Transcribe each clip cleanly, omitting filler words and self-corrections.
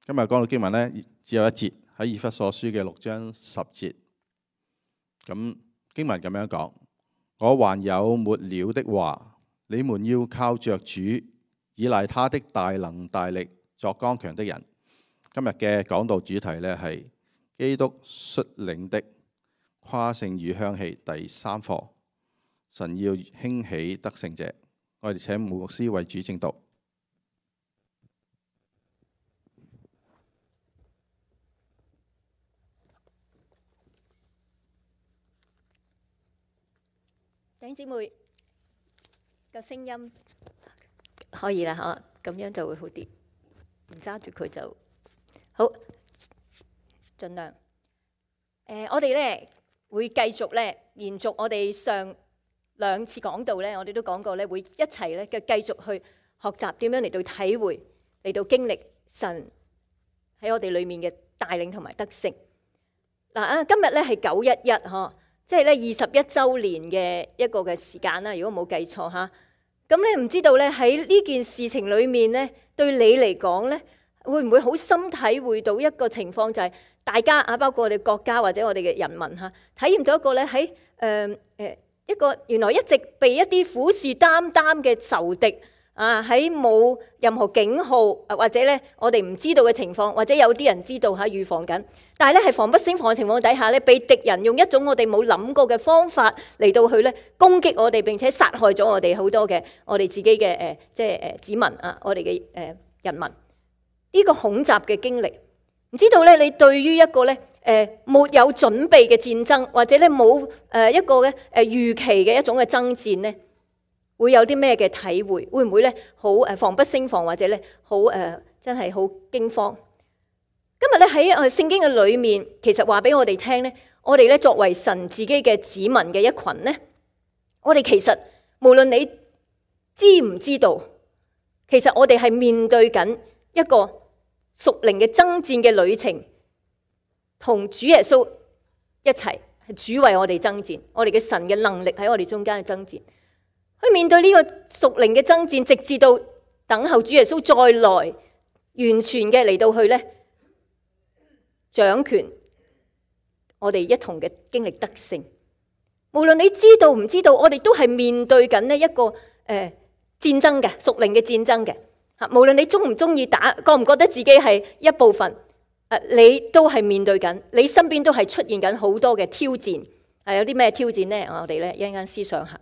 今日講到經文呢，只有一節，喺以弗所書嘅6章10節。咁經文咁樣講：我還有末了的話，你們要靠着主，倚賴他的大能大力，作剛強的人。今日嘅講道主題呢，係基督率領的誇勝與香氣第3課。神要興起得勝者。我哋請牧師為主證道。弟兄姊妹，個聲音可以啦，嚇，咁樣就會好啲。唔揸住佢就好，盡量。我哋咧會繼續咧延續我哋上2次講道咧，我哋都講過咧，會一齊咧嘅繼續去學習點樣嚟到體會，嚟到經歷神喺我哋裏面嘅帶領同埋得勝。嗱，今日咧係911嗬。即係咧21週年嘅一個嘅時間啦，如果冇記錯嚇。咁咧唔知道咧喺呢件事情裏面咧，對你嚟講咧，會唔會好深體會到一個情況，就係大家啊，包括我哋國家或者我哋嘅人民嚇，體驗到一個咧喺一個原來一直被一啲虎視眈眈嘅仇敵啊，喺冇任何警號或者咧我哋唔知道嘅情況，或者有啲人知道嚇預防緊。但係咧，係防不勝防嘅情況底下咧，被敵人用一種我哋冇諗過嘅方法嚟到去咧攻擊我哋，並且殺害咗我哋好多嘅我哋自己嘅子民啊，我哋嘅人民。呢個恐襲嘅經歷，唔知道咧，你對於一個咧沒有準備嘅戰爭，或者咧冇一個嘅預期嘅一種嘅爭戰咧，會有啲咩嘅體會？會唔會咧好防不勝防，或者咧好真係好驚慌？今日咧喺聖經嘅裏面，其實話俾我哋聽咧，我哋咧作為神自己嘅子民嘅一群咧，我哋其實無論你知唔知道，其實我哋係面對緊一個屬靈嘅爭戰嘅旅程，同主耶穌一齊，係主為我哋爭戰，我哋嘅神嘅能力喺我哋中間嘅爭戰，去面對呢個屬靈嘅爭戰，直至到等候主耶穌再來，完全嘅嚟到去咧。掌權，我哋一同嘅經歷得勝。無論你知道唔知道，我哋都係面對緊呢一個戰爭嘅屬靈嘅戰爭嘅嚇。無論你中唔中意打，覺唔覺得自己係一部分，你都係面對緊，你身邊都係出現緊好多嘅挑戰。有啲咩挑戰呢？我哋咧一陣間思想下。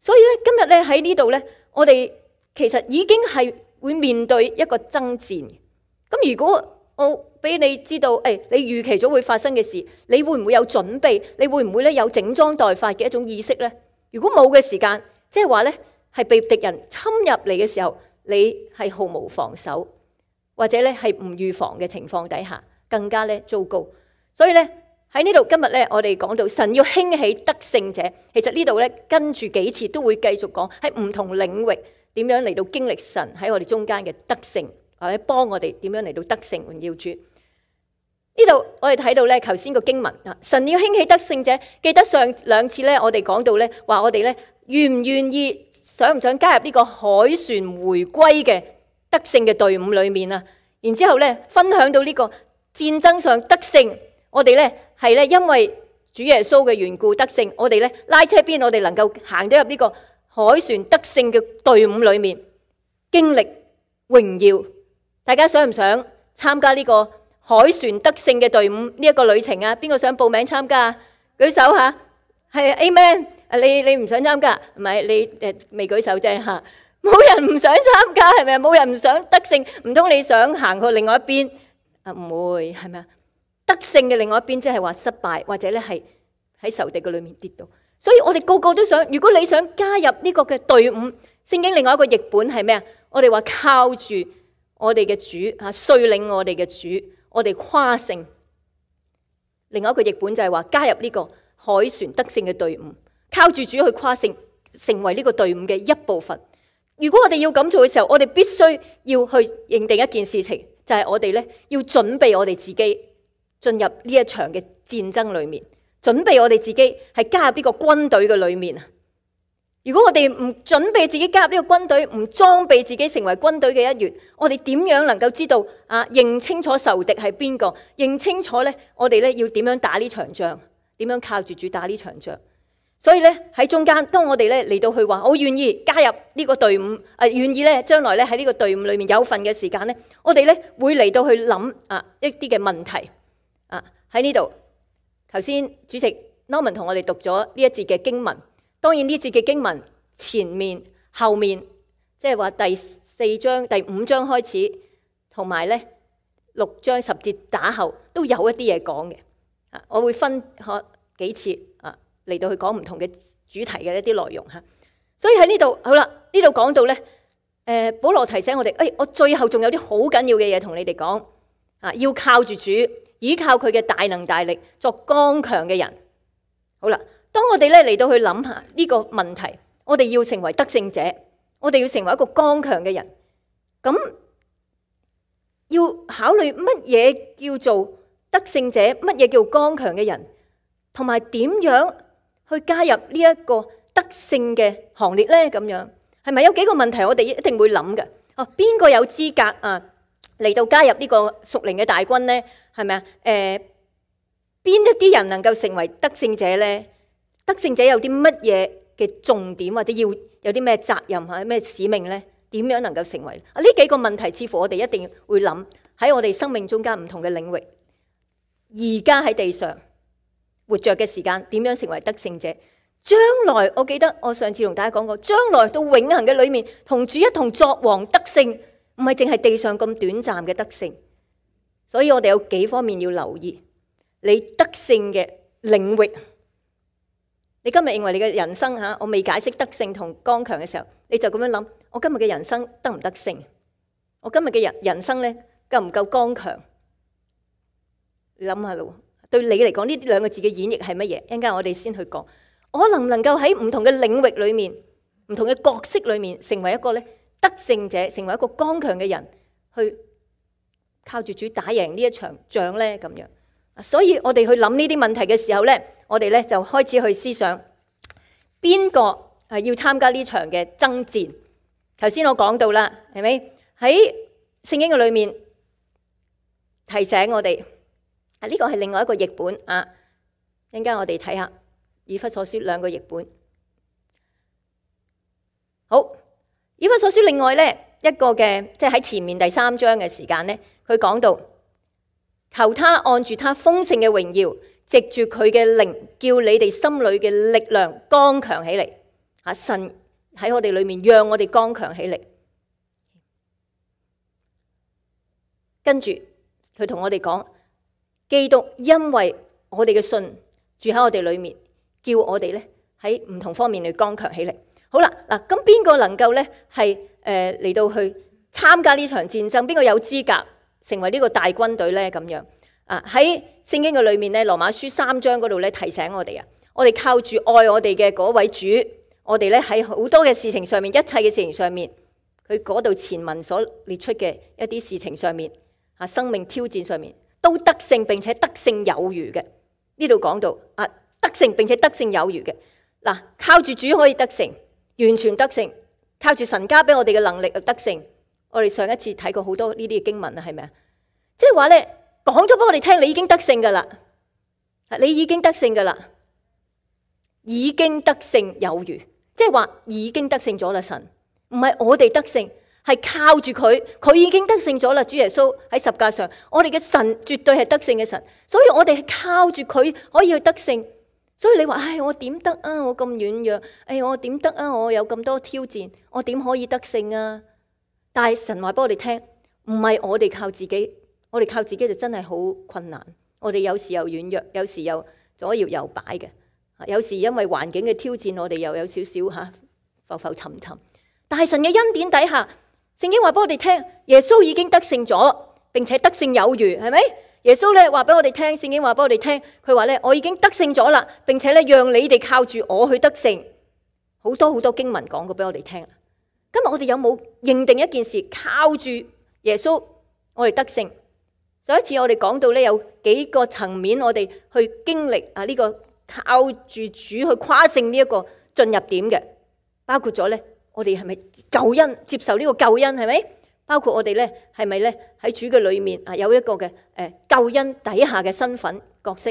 所以咧今日咧喺呢度咧，我哋其實已經係會面對一個爭戰。咁如果我俾你知道，你預期咗會發生嘅事，你會唔會有準備？你會唔會咧有整裝待發嘅一種意識呢？如果冇嘅時間，即係話咧係被敵人侵入嚟嘅時候，你係毫無防守，或者咧係唔預防嘅情況底下，更加咧糟糕。所以咧喺呢度今日咧，我哋講到神要興起得勝者，其實呢度咧跟住幾次都會繼續講喺唔同領域點樣嚟到經歷神喺我哋中間嘅得勝。或者幫我哋點樣嚟到得勝榮耀主。呢度我哋睇到咧，頭先個經文啊，神要興起得勝者。記得上2次咧，我哋講到咧，話我哋咧願唔願意，想唔想加入呢個凱旋回歸嘅得勝嘅隊伍裏面啊？然之後咧，分享到呢個戰爭上得勝，我哋咧係咧因為主耶穌嘅緣故得勝，我哋咧拉車邊，我哋能夠行到入呢個凱旋得勝嘅隊伍裏面，經歷榮耀。大家想唔想參加呢個凱旋得勝嘅隊伍呢一個旅程啊？邊個想報名參加啊？舉手吓，係 Amen。你唔想參加，唔係你未舉手啫吓。冇人唔想參加係咪？冇人唔想得勝，唔通你想行去另外一邊啊？唔會係咪啊？得勝嘅另外一邊即係話失敗，或者咧係喺仇敵嘅裏面跌倒。所以我哋個個都想，如果你想加入呢個嘅隊伍，聖經另外一個譯本係咩啊？我哋話靠住我哋嘅主啊，率領我哋嘅主，我哋誇勝。另外一個譯本就係話加入呢個凱旋得勝嘅隊伍，靠住主去誇勝，成為呢個隊伍嘅一部分。如果我哋要咁做嘅時候，我哋必須要去認定一件事情，就係我哋咧要準備我哋自己進入呢一場嘅戰爭裏面，準備我哋自己係加入呢個軍隊嘅裏面啊。如果我哋唔準備自己加入呢個軍隊，唔裝備自己成為軍隊嘅一員，我哋點樣能夠知道認清楚仇敵係邊個？認清楚咧，我哋咧要點樣打呢場仗？點樣靠住主打呢場仗？所以咧喺中間，當我哋咧嚟到去話我願意加入呢個隊伍，願意咧將來咧喺呢個隊伍裏面有份嘅時間咧，我哋咧會嚟到去諗一啲嘅問題喺呢度。頭先主席 Norman 同我哋讀咗呢一節嘅經文。當然呢節嘅經文前面後面，即係話第4章第5章開始，同埋咧6章10節打後都有一啲嘢講嘅。我會分幾次嚟到去講唔同嘅主題嘅一啲內容嚇。所以喺呢度好啦，呢度講到咧，保羅提醒我哋，我最後仲有啲好緊要嘅嘢同你哋講要靠住主，依靠佢嘅大能大力，作剛強嘅人。好啦。當我哋咧嚟到去諗下呢個問題，我哋要成為得勝者，我哋要成為一個剛強嘅人，咁要考慮乜嘢叫做得勝者，乜嘢叫剛強嘅人，同埋點樣去加入呢一個得勝嘅行列咧？咁樣係咪有幾個問題我哋一定會諗嘅？邊個有資格嚟到加入呢個屬靈嘅大軍咧？係咪邊一啲人能夠成為得勝者咧？得勝者有啲乜嘢嘅重點，或者要有啲咩責任咩使命呢？點樣能夠成為呢幾個問題？似乎我哋一定會諗喺我哋生命中間唔同嘅領域。而家喺地上活着嘅時間，點樣成為得勝者？將來我記得我上次同大家講過，將來到永恆嘅裏面，同主一同作王得勝，唔係淨係地上咁短暫嘅得勝。所以我哋有幾方面要留意你得勝嘅領域。你今日認為你嘅人生我未解釋得勝同剛強嘅時候，你就咁樣諗：我今日嘅人生得唔得勝？我今日嘅人生咧夠唔夠剛強？你諗下咯，對你嚟講呢兩個字嘅演繹係乜嘢？一陣間我哋先去講，我能唔能夠喺唔同嘅領域裏面、唔同嘅角色裏面，成為一個咧得勝者，成為一個剛強嘅人，去靠住主打贏呢一場仗咧？咁樣。所以我哋去諗呢啲問題嘅時候呢，我哋呢就開始去思想邊個係要參加呢場嘅爭戰。頭先我講到啦，係咪喺聖經嘅裏面提醒我哋呢個係另外一個譯本一陣間我哋睇下以弗所書兩個譯本。好，以弗所書另外呢一個嘅，即係喺前面第3章嘅時間呢，佢講到。求他按住他豐盛嘅榮耀，藉住佢嘅靈，叫你哋心裏嘅力量剛強起嚟。神喺我哋裏面，讓我哋剛強起嚟。跟住佢同我哋講，基督因為我哋嘅信住喺我哋裏面，叫我哋咧喺唔同方面去剛強起嚟。好啦，嗱，咁邊個能夠咧係嚟到去參加呢場戰爭？邊個有資格成為呢個大軍隊咧？咁樣喺聖經嘅裏面咧，羅馬書3章嗰度咧提醒我哋我哋靠住愛我哋嘅嗰位主，我哋咧喺好多嘅事情上面，一切嘅事情上面，佢嗰度前文所列出嘅一啲事情上面，生命挑戰上面都得勝，並且得勝有餘嘅。呢度講到得勝並且得勝有餘嘅。嗱，靠住主可以得勝，完全得勝，靠住神加俾我哋嘅能力得勝。我哋上一次睇過好多呢啲嘅經文係咪啊？即係話咧，講咗俾我哋聽，你已經得勝噶啦，你已經得勝噶啦，已經得勝有餘，即係話已經得勝咗啦。神唔係我哋得勝，係靠住佢，佢已經得勝咗啦。主耶穌喺十架上，我哋嘅神絕對係得勝嘅神，所以我哋係靠住佢可以去得勝。所以你話我點得啊？我咁軟弱，我點得啊？我有咁多挑戰，我點可以得勝啊？但係神話俾我哋聽，唔係我哋靠自己，我哋靠自己就真係好困難。我哋有時又軟弱，有時又左搖右擺嘅，有時因為環境嘅挑戰，我哋又有少少浮浮沉沉。但係神嘅恩典底下，聖經話俾我哋聽，耶穌已經得勝咗，並且得勝有餘，係咪？耶穌咧話俾我哋聽，聖經話俾我哋聽，佢話咧我已經得勝咗啦，並且咧讓你哋靠住我去得勝。好多好多經文講過俾我哋聽。今日我哋有冇認定一件事，靠住耶穌我哋得勝？上一次我哋講到咧有幾個層面，我哋去經歷呢個靠住主去誇勝呢一個進入點嘅。包括咗咧，我哋係咪救恩接受呢個救恩係咪？包括我哋咧係咪咧喺主嘅裏面啊有一個嘅救恩底下嘅身份角色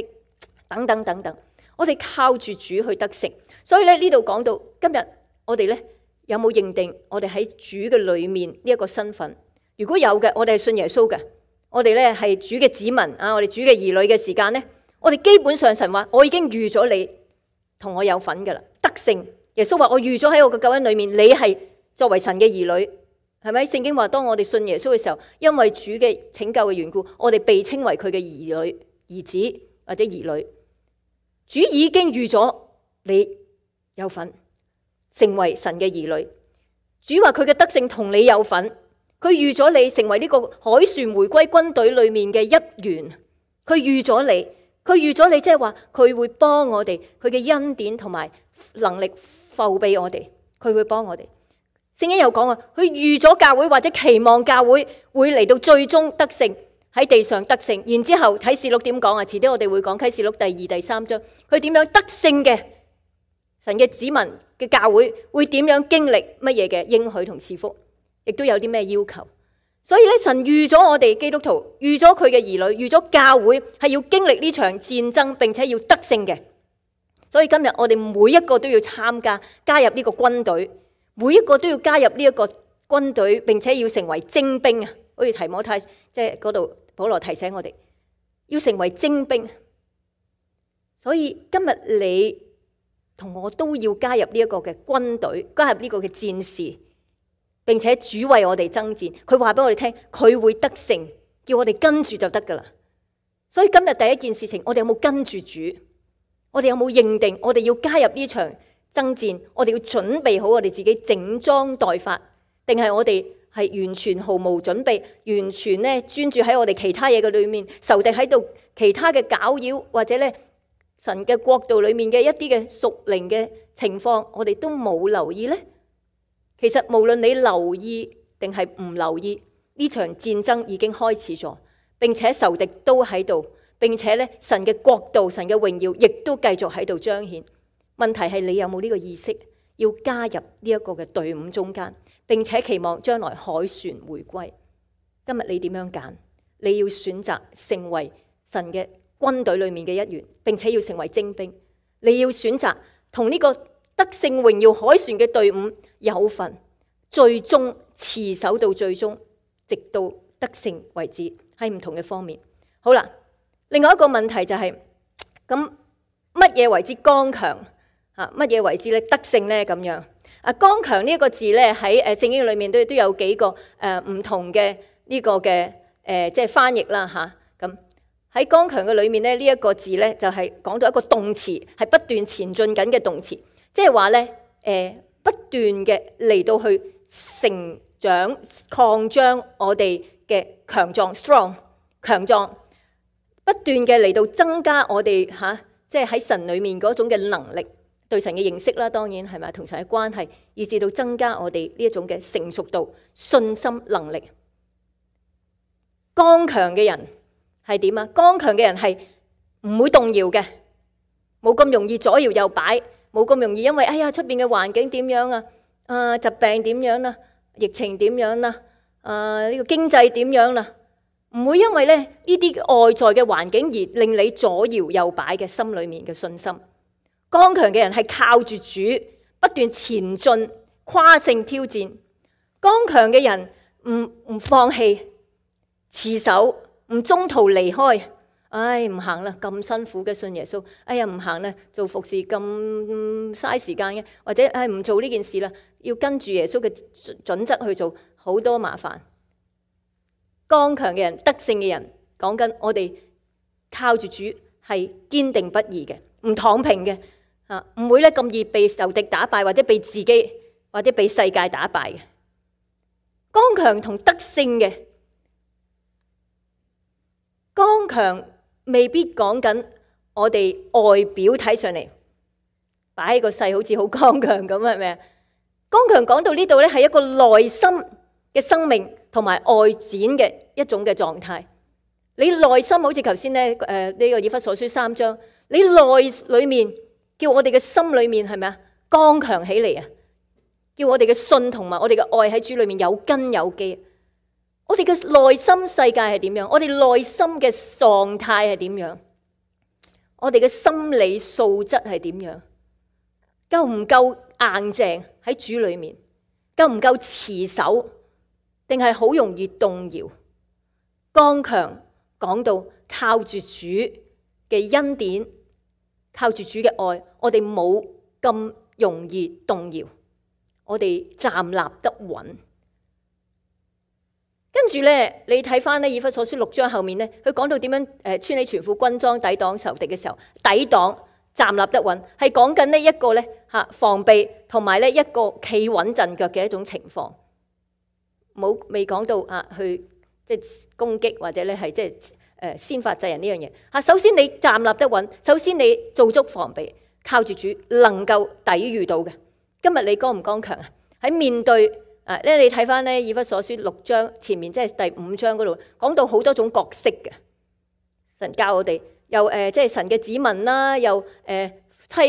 等等等等，我哋靠住主去得勝。所以咧呢度講到今日我哋咧有冇認定我哋喺主嘅裏面呢一個身份？如果有嘅，我哋係信耶穌嘅，我哋咧係主嘅子民啊，我哋主嘅兒女嘅時間咧，我哋基本上神話我已經預咗你同我有份噶啦，得勝。耶穌話我預咗喺我嘅救恩裏面，你係作為神嘅兒女，係咪？聖經話當我哋信耶穌嘅時候，因為主嘅拯救嘅緣故，我哋被稱為佢嘅兒女、兒子或者兒女。主已經預咗你有份成為神嘅兒女。主話佢嘅得勝同你有份，佢預咗你成為呢個凱旋回歸軍隊裏面嘅一員。佢預咗你，即係話佢會幫我哋，佢嘅恩典同埋能力覆庇我哋，佢會幫我哋。聖經有講啊，佢預咗教會或者期望教會會嚟到最終得勝，喺地上得勝。然之後啟示錄點講啊？遲啲我哋會講啟示錄第2、第3章，佢點樣得勝嘅神嘅子民嘅教會會點樣經歷乜嘢嘅應許同賜福，亦都有啲咩要求。所以咧，神預咗我哋基督徒，預咗佢嘅兒女，預咗教會係要經歷呢場戰爭，並且要得勝嘅。所以今日我哋每一個都要參加，加入呢個軍隊，每一個都要加入呢一個軍隊，並且要成為精兵啊！好似提摩太即係嗰度保羅提醒我哋要成為精兵。所以今日你同我都要加入呢一個嘅軍隊，加入呢個嘅戰士。並且主為我哋爭戰，佢話俾我哋聽，佢會得勝，叫我哋跟住就得噶啦。所以今日第一件事情，我哋有冇跟住主？我哋有冇認定我哋要加入呢場爭戰？我哋要準備好我哋自己整裝待發，定係我哋係完全毫無準備，完全咧專注喺我哋其他嘢嘅裏面，仇敵喺度其他嘅攪擾，或者咧神嘅國度裏面嘅一啲嘅屬靈嘅情況，我哋都冇留意呢？其實無論你留意定係唔留意，呢場戰爭已經開始咗，並且仇敵都喺度，並且咧神嘅國度、神嘅榮耀亦都繼續喺度彰顯。問題係你有冇呢個意識，要加入呢一個嘅隊伍中間，並且期望將來凱旋回歸。今日你點樣揀？你要選擇成為神嘅軍隊裏面嘅一員，並且要成為精兵。你要選擇同呢個得勝榮耀凱旋嘅隊伍有份，最終持守到最終，直到得勝為止，喺唔同嘅方面。好啦，另外一個問題就係咁乜嘢為之剛強啊？乜嘢為之咧得勝咧？咁樣啊，剛強呢一個字咧喺聖經裏面都有幾個唔同嘅呢個嘅即係翻譯啦嚇。咁喺剛強嘅裏面咧，呢一個字咧就係講到一個動詞，係不斷前進緊嘅動詞。即係話咧，不斷嘅嚟到去成長、擴張我哋嘅強壯 （strong）、強壯，不斷嘅嚟到增加我哋即係喺神裏面嗰種嘅能力，對神嘅認識啦，當然係咪同神嘅關係，以至到增加我哋呢一種嘅成熟度、信心、能力。剛強嘅人係點啊？剛強嘅人係唔會動搖嘅，冇咁容易左搖右擺。冇咁容易，因為哎呀出邊嘅環境點樣啊？疾病點樣啦？疫情點樣啦？呢個經濟點樣啦？唔會因為咧呢啲外在嘅環境而令你左搖右擺嘅心裏面嘅信心。剛強嘅人係靠住主不斷前進，跨性挑戰。剛強嘅人唔放棄，持守，唔中途離開。唉，唔行啦，咁辛苦嘅信耶穌。哎呀，唔行啦，做服侍咁嘥時間嘅，或者唔做呢件事啦，要跟住耶穌嘅準則去做，好多麻煩。剛強嘅人、得勝嘅人，講緊我哋靠住主係堅定不移嘅，唔躺平嘅，唔會咧咁易被仇敵打敗，或者被自己或者被世界打敗嘅。剛強同得勝嘅，剛強未必講緊我哋外表睇上嚟擺喺個勢好似好剛強咁，係咪啊？剛強講到呢度咧，係一個內心嘅生命同埋外展嘅一種嘅狀態。你內心好似頭先咧呢個以弗所書3章，你內裏面叫我哋嘅心裏面係咪啊剛強起嚟啊？叫我哋嘅信同埋我哋嘅愛喺主裏面有根有基。我哋嘅內心世界係點樣？我哋內心嘅狀態係點樣？我哋嘅心理素質係點樣？夠唔夠硬淨喺主裏面？夠唔夠持守？定係好容易動搖？剛強講到靠住主嘅恩典，靠住主嘅愛，我哋冇咁容易動搖，我哋站立得穩。跟住咧，你睇翻咧以弗所書6章後面咧，佢講到點樣穿起全副軍裝抵擋仇敵嘅時候，抵擋站立得穩，係講緊呢一個咧防備同埋咧一個企穩陣腳嘅一種情況，未講到去即係攻擊或者咧係即係先發制人呢樣嘢。首先你站立得穩，首先你做足防備，靠住主能夠抵禦到嘅。今日你剛唔剛強啊？喺面對你睇翻咧以弗所書6章前面，即係第5章嗰度講到好多種角色嘅。神教我哋又即係神嘅子民啦，又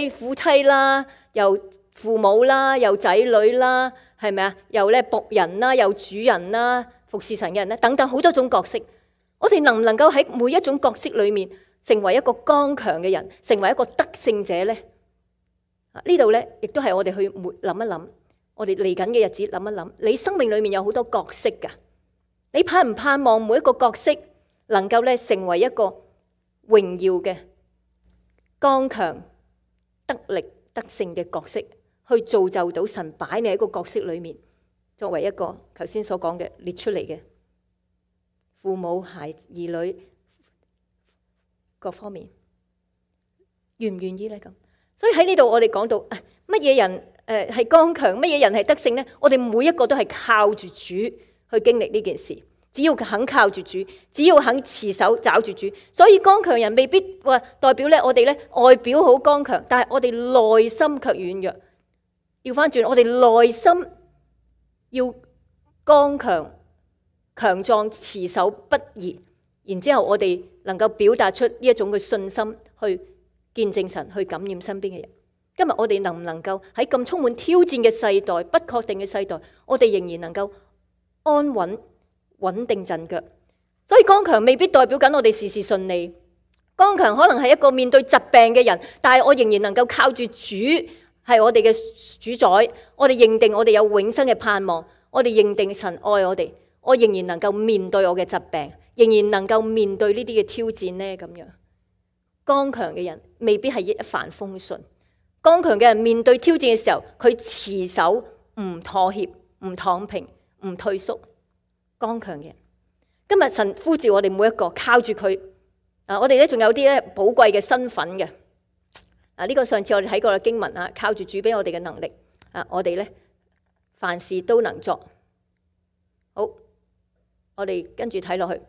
夫妻啦，又父母啦，又仔女啦，係咪啊？又咧僕人啦，又主人啦，服侍神嘅人咧，等等好多種角色。我哋能唔能夠喺每一種角色裏面成為一個剛強嘅人，成為一個得勝者咧？呢度咧亦都係我哋去諗一諗。我哋嚟緊嘅日子諗一諗，你生命裏面有好多角色噶，你盼唔盼望每一個角色能夠咧成為一個榮耀嘅、剛強、得力、得勝嘅角色，去造就到神擺你喺個角色裏面，作為一個頭先所講嘅列出嚟嘅父母、兒女各方面，願唔願意咧咁？所以喺呢度我哋講到乜嘢人係剛強，乜嘢人係得勝呢？我哋每一個都係靠住主去經歷呢件事，只要肯靠住主，只要肯持守抓住主。所以剛強人未必話代表咧我哋咧外表好剛強，但係我哋內心卻軟弱。調翻轉，我哋內心要剛強、強壯、持守不移，然之後我哋能夠表達出呢一種嘅信心，去見證神，去感染身邊嘅人。今日我哋能唔能夠喺咁充滿挑戰嘅世代、不確定嘅世代，我哋仍然能夠安穩、穩定陣腳？所以剛強未必代表緊我哋事事順利，剛強可能係一個面對疾病嘅人，但係我仍然能夠靠住主係我哋嘅主宰，我哋認定我哋有永生嘅盼望，我哋認定神愛我哋，我仍然能夠面對我嘅疾病，仍然能夠面對呢啲嘅挑戰呢？咁樣剛強嘅人未必係一帆風順。剛強嘅人面對挑戰嘅時候，佢持守，唔妥協，唔躺平，唔退縮。剛強嘅人，今日神呼召我哋每一個靠住佢。我哋咧仲有啲咧寶貴嘅身份嘅。呢個上次我哋睇過嘅經文啊，靠住主俾我哋嘅能力我哋咧凡事都能作。好，我哋跟住睇落去，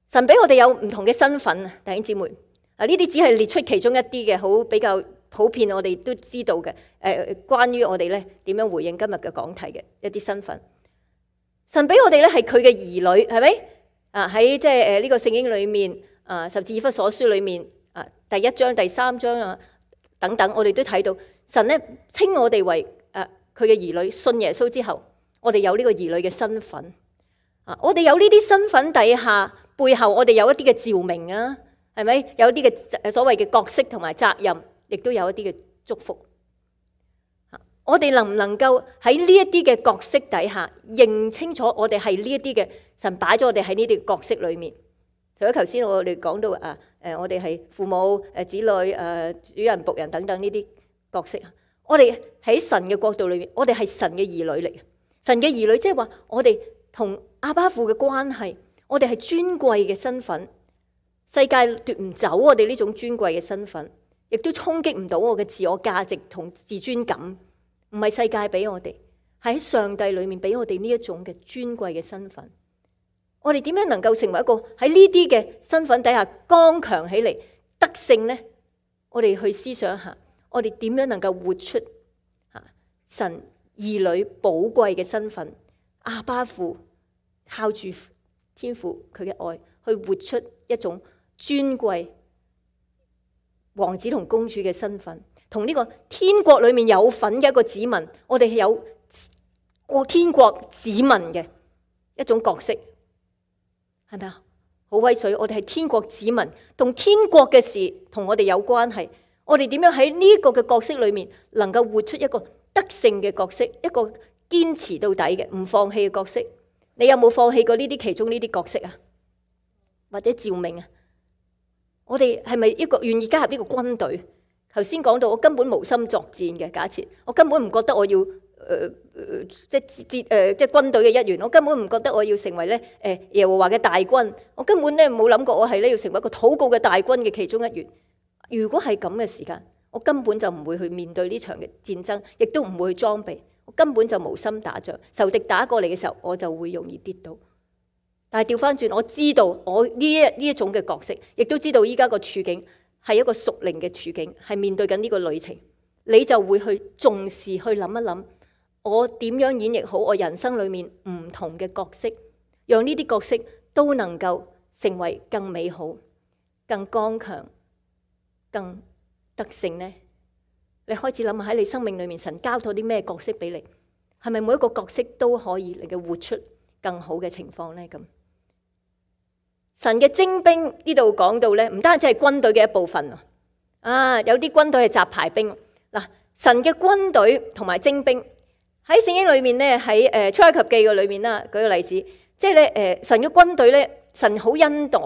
神俾我哋有唔同嘅身份啊，弟兄姊妹。呢啲只係列出其中一啲嘅，好比較普遍，我哋都知道嘅。關於我哋咧點樣回應今日嘅講題嘅一啲身份，神俾我哋咧係佢嘅兒女，係咪？喺即係呢個聖經裏面甚至以弗所書裏面第1章、第3章等等，我哋都睇到神咧稱我哋為佢嘅兒女。信耶穌之後，我哋有呢個兒女嘅身份。我哋有呢啲身份底下，背後我哋有一啲嘅召命啊。係咪有啲嘅所謂嘅角色同埋責任，亦都有一啲嘅祝福。我哋能唔能夠喺呢一啲嘅角色底下認清楚我哋係呢一啲嘅神擺咗我哋喺呢啲角色裏面？除咗頭先我哋講到我哋係父母、子女、主人、僕人等等呢啲角色，我哋喺神嘅角度裏面，我哋係神嘅兒女嚟嘅。神嘅兒女即係話我哋同阿爸父嘅關係，我哋係尊貴嘅身份。世界奪唔走我哋呢種尊貴嘅身份，亦都衝擊唔到我嘅自我價值同自尊感。唔係世界俾我哋，係喺上帝裏面俾我哋呢一種嘅尊貴嘅身份。我哋點樣能夠成為一個喺呢啲嘅身份底下剛強起嚟得勝呢？我哋去思想一下，我哋點樣能夠活出神兒女寶貴嘅身份？阿爸父靠住天父佢嘅愛去活出一種尊貴王子同公主嘅身份，同呢個天國裏面有份嘅一個子民，我哋係有過天國子民嘅一種角色，係咪啊？好威水！我哋係天國子民，同天國嘅事同我哋有關係。我哋點樣喺呢個嘅角色裏面，能夠活出一個得勝嘅角色，一個堅持到底嘅唔放棄嘅角色？你有冇放棄過呢啲其中呢啲角色啊？或者召命啊？我哋係咪一個願意加入呢個軍隊？頭先講到我根本無心作戰嘅假設，我根本唔覺得我要即係軍隊嘅一員，我根本唔覺得我要成為咧耶和華嘅大軍，我根本咧冇諗過我係咧要成為一個禱告嘅大軍嘅其中一員。如果係咁嘅時間，我根本就唔會去面對呢場嘅戰爭，亦都唔會去裝備，我根本就無心打仗。仇敵打過嚟嘅時候，我就會容易跌倒。但係調翻轉，我知道我呢一種嘅角色，亦都知道依家個處境係一個屬靈嘅處境，係面對緊呢個旅程，你就會去重視去諗一諗，我點樣演繹好我人生裏面唔同嘅角色，讓呢啲角色都能夠成為更美好、更剛強、更得勝呢？你開始諗下喺你生命裏面，神交託啲咩角色俾你？係咪每一個角色都可以嚟嘅活出更好嘅情況呢？咁神嘅精兵呢度講到呢，唔單止係軍隊嘅一部分有啲軍隊係雜牌兵嗱。神嘅軍隊同埋精兵喺聖經裏面呢，喺出埃及記嘅裏面啦，舉個例子，即係咧神嘅軍隊咧，神好恩待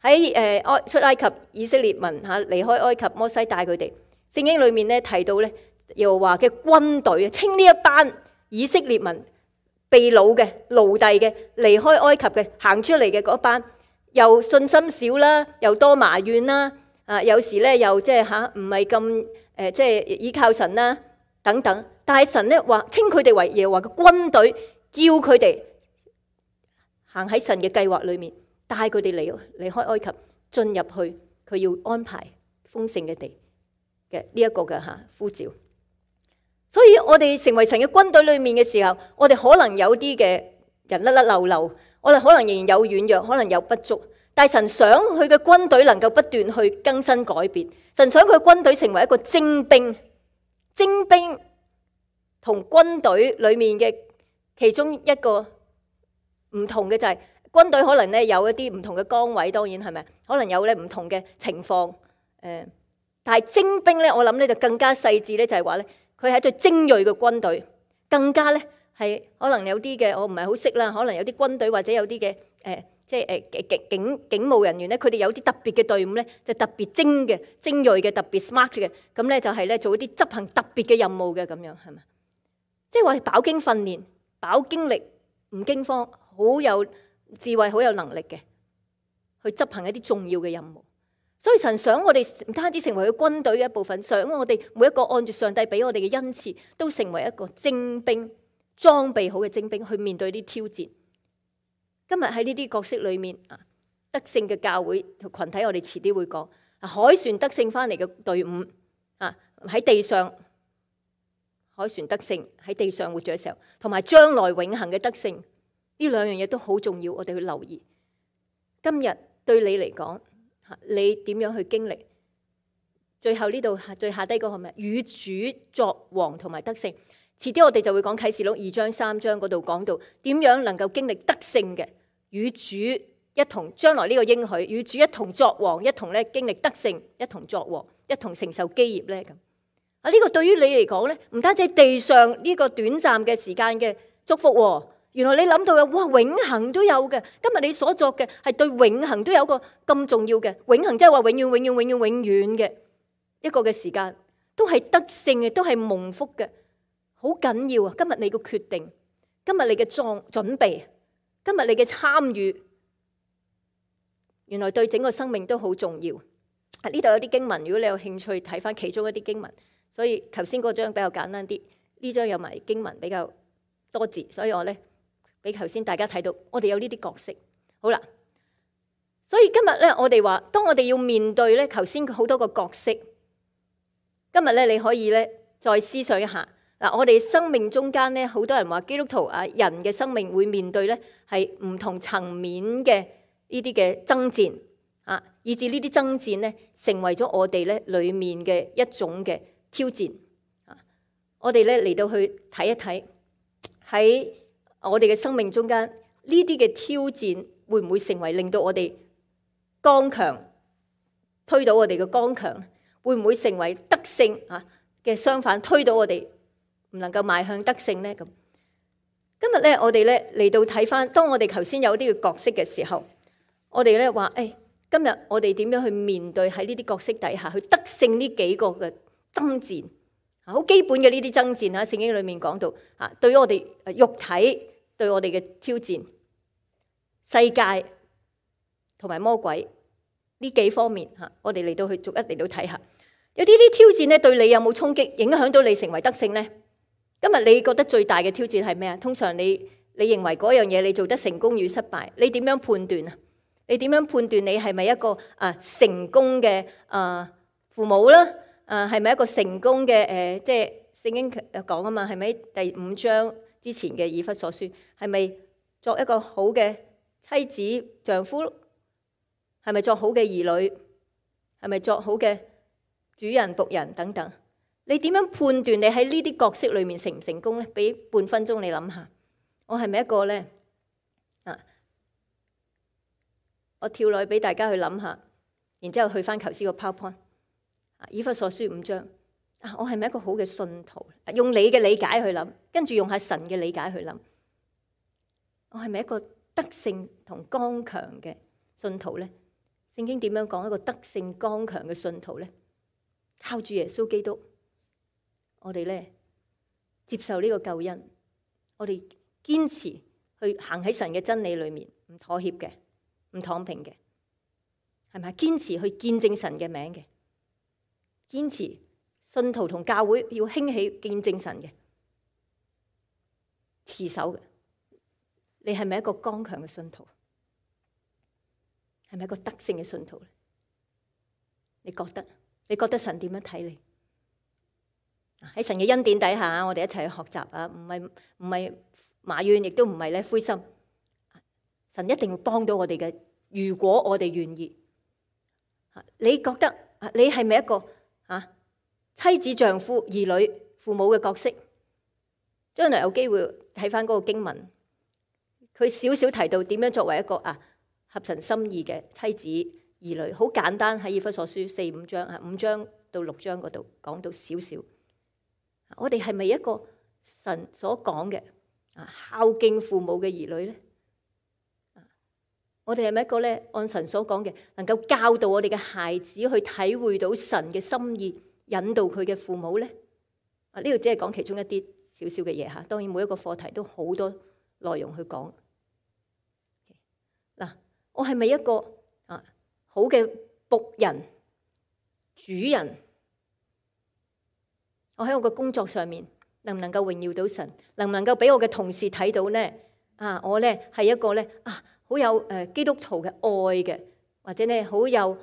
喺出埃及以色列民離開埃及，摩西帶佢哋。聖經裏面咧提到咧，耶和華嘅軍隊稱呢一班以色列民被擄嘅奴隸嘅離開埃及嘅行出嚟嘅嗰班，又信心少啦，又多埋怨啦，有時咧又即係唔係咁即係依靠神啦等等。但係神咧話稱佢哋為耶和華嘅軍隊，叫佢哋行喺神嘅計劃裏面，帶佢哋離開埃及，進入去佢要安排豐盛嘅地嘅呢一個嘅呼召。所以我哋成為神嘅軍隊裏面嘅時候，我哋可能有啲嘅人甩甩漏漏，我哋可能仍然有軟弱，可能有不足。但係神想佢嘅軍隊能夠不斷去更新改變，神想佢嘅軍隊成為一個精兵。精兵同軍隊裏面嘅其中一個唔同嘅就係，軍隊可能咧有一啲唔同嘅崗位，當然係咪？可能有咧唔同嘅情況。但係精兵咧，我諗咧就更加細緻咧，就係話咧，佢係一隊精鋭嘅軍隊，更加咧係可能有啲嘅我唔係好識啦，可能有啲軍隊或者有啲嘅即係警務人員咧，佢哋有啲特別嘅隊伍咧，就特別精鋭嘅，特別 smart 嘅，咁咧就係咧做一啲執行特別嘅任務嘅咁樣，係咪？即係話飽經訓練、飽經歷、唔驚慌，好有智慧、好有能力嘅，去執行一啲重要嘅任務。所以神想我哋唔單止成為佢軍隊嘅一部分，想我哋每一個按住上帝俾我哋嘅恩賜，都成為一個精兵，裝備好嘅精兵去面對啲挑戰。今日喺呢啲角色裏面，得勝嘅教會同群體，我哋遲啲會講。海船得勝翻嚟嘅隊伍喺地上，海船得勝喺地上活着嘅時候，同埋將來永恆嘅得勝，呢兩樣嘢都好重要，我哋去留意。今日對你嚟講，你點樣去經歷？最後呢度最下低嗰個係咩？與主作王同埋得勝。遲啲我哋就會講啟示錄2章3章嗰度講到點樣能夠經歷得勝嘅，與主一同將來呢個應許，與主一同作王，一同咧經歷得勝，一同作王，一同承受基業咧咁。呢個對於你嚟講咧，唔單止地上呢個短暫嘅時間嘅祝福喎，原來你諗到嘅哇永恆都有嘅。今日你所作嘅係對永恆都有個咁重要嘅，永恆即係話永遠永遠永遠永遠嘅一個嘅時間，都係得勝嘅，都係蒙福嘅。好緊要啊！今日你個決定，今日你嘅準備，今日你嘅參與，原來對整個生命都好重要。呢度有啲經文，如果你有興趣睇翻其中一啲經文，所以頭先嗰張比較簡單啲，呢張有埋經文比較多字，所以我咧俾頭先大家睇到，我哋有呢啲角色。好啦，所以今日咧，我哋話，當我哋要面對咧頭先好多個角色，今日咧你可以咧再思想一下。我哋生命中間咧，好多人話基督徒人嘅生命會面對咧係唔同層面嘅呢啲嘅爭戰以至呢啲爭戰咧成為咗我哋咧裡面嘅一種嘅挑戰。我哋咧嚟到去睇一睇喺我哋嘅生命中間呢啲嘅挑戰會唔會成為令到我哋剛強，推到我哋嘅剛強，會唔會成為得勝嘅相反，推到我哋唔能夠邁向得勝呢？咁今日咧，我哋咧嚟到睇翻，當我哋頭先有呢個角色嘅時候，我哋咧話，今日我哋點樣去面對喺呢啲角色底下去得勝呢幾個嘅爭戰？好基本嘅呢啲爭戰喺聖經裏面講到，對於我哋肉體對我哋嘅挑戰，世界同埋魔鬼呢幾方面我哋嚟到去逐一嚟到睇下，有啲挑戰咧對你有冇衝擊，影響到你成為得勝呢？今日你覺得最大嘅挑戰係咩啊？通常你認為嗰樣嘢你做得成功與失敗，你點樣判斷啊？你點樣判斷你係咪一個成功嘅父母啦？係咪一個成功嘅即係聖經講啊嘛？係咪第5章之前嘅以弗所書？係咪作一個好嘅妻子丈夫？係咪作好嘅兒女？係咪作好嘅主人僕人等等？你點樣判斷你喺呢啲角色裏面成唔成功咧？俾半分鐘你諗下，我係咪一個咧？我跳落去俾大家去諗下，然之後去翻頭先個 PowerPoint。以弗所書5章，我係咪一個好嘅信徒？用你嘅理解去諗，跟住用下神嘅理解去諗，我係咪一個得勝同剛強嘅信徒咧？聖經點樣講一個得勝剛強嘅信徒咧？靠住耶穌基督，我哋咧接受呢個救恩，我哋堅持去行喺神嘅真理裏面，唔妥協嘅，唔躺平嘅，係咪？堅持去見證神嘅名嘅，堅持信徒同教會要興起見證神嘅，持守嘅。你係咪一個剛強嘅信徒？係咪一個得勝嘅信徒咧？你覺得神點樣睇你？喺神嘅恩典底下，我哋一齊去學習啊！唔係埋怨，亦都唔係咧灰心。神一定會幫到我哋嘅，如果我哋願意。你覺得你係咪一個妻子、丈夫、兒女、父母嘅角色？將來有機會睇翻嗰個經文，佢少少提到點樣作為一個合神心意嘅妻子、兒女，好簡單喺以弗所書4、5章5章到6章嗰度講到少少。我哋係咪一個神所講嘅孝敬父母嘅兒女咧？我哋係咪一個咧按神所講嘅，能夠教導我哋嘅孩子去體會到神嘅心意，引導佢嘅父母咧？呢度只係講其中一啲少少嘅嘢嚇，當然每一個課題都好多內容去講。嗱，我係咪一個好嘅僕人、主人？我喺我嘅工作上面能唔能夠榮耀到神？能唔能夠俾我嘅同事睇到咧？我咧係一個咧好有基督徒嘅愛嘅，或者咧好有